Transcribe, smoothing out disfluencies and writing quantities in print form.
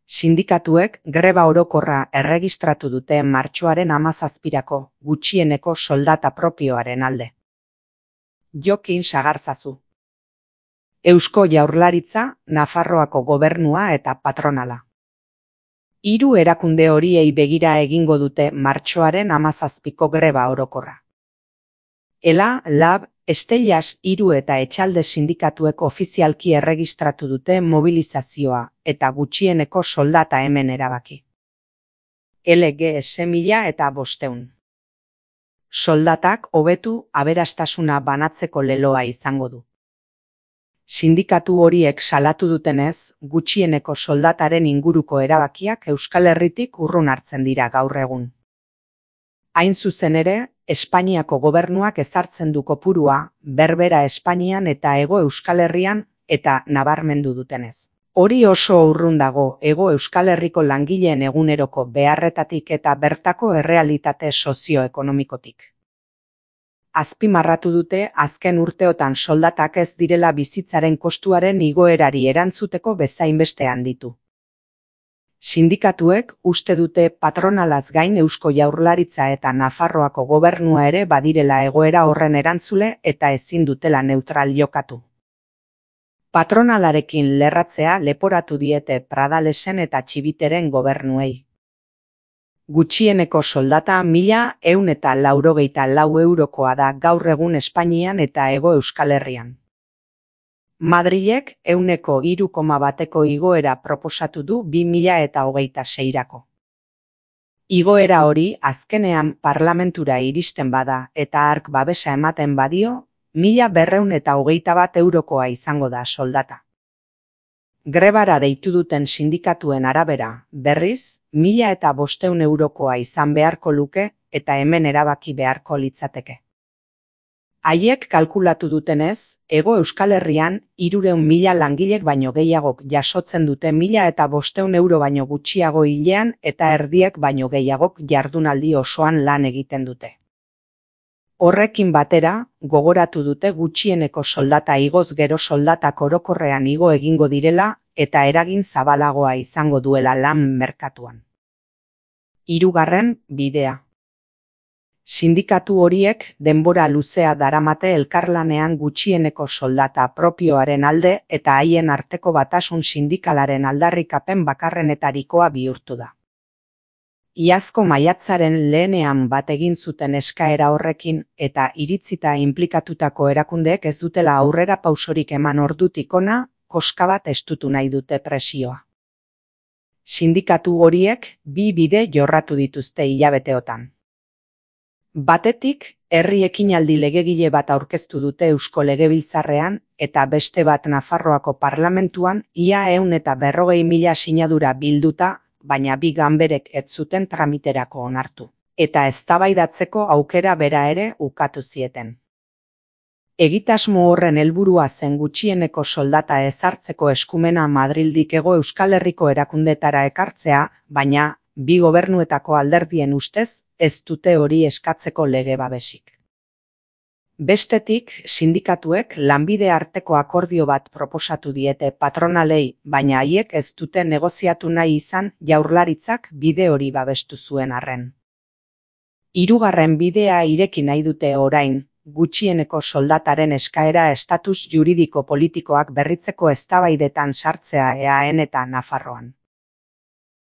Sindikatuek greba orokorra erregistratu dute martxoaren 17 gutxieneko soldata propioaren alde. Jokin Sagarzazu. Eusko Jaurlaritza, Nafarroako Gobernua eta patronala. Hiru erakunde horiei begira egingo dute martxoaren 17ko greba orokorra. ELA, LAB, Estellas, Hiru eta Etxalde sindikatuek ofizialki erregistratu dute mobilizazioa eta gutxieneko soldata hemen erabaki. LGS 1500. Soldatak hobetu aberastasuna banatzeko leloa izango du. Sindikatu horiek salatu dutenez, gutxieneko soldataren inguruko erabakiak Euskal Herritik urrun hartzen dira gaur egun. Hain zuzen ere, Espainiako gobernuak ezartzen du kopurua, berbera Espainian eta Hego Euskal Herrian eta nabarmendu dutenez. Hori oso urrun dago Hego Euskal Herriko langileen eguneroko beharretatik eta bertako errealitate sozioekonomikotik. Azpimarratu dute azken urteotan soldatak ez direla bizitzaren kostuaren igoerari erantzuteko bezainbeste handitu. Sindikatuek uste dute patronalaz gain Eusko Jaurlaritza eta Nafarroako Gobernua ere badirela egoera horren erantzule eta ezin dutela neutral jokatu. Patronalarekin lerratzea leporatu diete Pradalesen eta Txibiteren gobernuei. Gutxieneko soldata 1184 eurokoa da gaur egun Espainian eta Hego Euskal Herrian. Madrilek 3,1ko igoera proposatu du 2026rako. Igoera hori azkenean parlamentura iristen bada eta hark babesa ematen badio, 1221 eurokoa izango da soldata. Grebara deitu duten sindikatuen arabera, berriz, 1500 eurokoa izan beharko luke eta hemen erabaki beharko litzateke. Haiek kalkulatu dutenez, Hego Euskal Herrian 300.000 langilek baino gehiagok jasotzen dute 1500 euro baino gutxiago hilean eta erdiek baino gehiagok jardunaldi osoan lan egiten dute. Horrekin batera, gogoratu dute gutxieneko soldata igoz gero soldatak orokorrean igo egingo direla eta eragin zabalagoa izango duela lan merkatuan. Hirugarren bidea. Sindikatu horiek denbora luzea daramate elkarlanean gutxieneko soldata propioaren alde eta haien arteko batasun sindikalaren aldarrikapen bakarrenetarikoa bihurtu da. Iazko maiatzaren lehenean bat egin zuten eskaera horrekin eta iritzita inplikatutako erakundeek ez dutela aurrera pausorik eman ordutik hona, koska bat estutu nahi dute presioa. Sindikatu horiek bi bide jorratu dituzte hilabeteotan. Batetik, herri ekinaldi legegile bat aurkeztu dute Eusko Legebiltzarrean eta beste bat Nafarroako parlamentuan ia 140.000 sinadura bilduta, baina bi ganberek ez zuten tramiterako onartu, eta eztabaidatzeko aukera bera ere ukatu zieten. Egitasmo horren helburua zen gutxieneko soldata ezartzeko eskumena Madrildik Hego Euskal Herriko erakundetara ekartzea, baina bi gobernuetako alderdien ustez ez dute hori eskatzeko lege babesik. Bestetik, sindikatuek lanbide arteko akordio bat proposatu diete patronalei, baina haiek ez dute negoziatu nahi izan Jaurlaritzak bide hori babestu zuen arren. Hirugarren bidea ireki nahi dute orain, gutxieneko soldataren eskaera estatus juridiko politikoak berritzeko eztabaidetan sartzea EAN eta Nafarroan.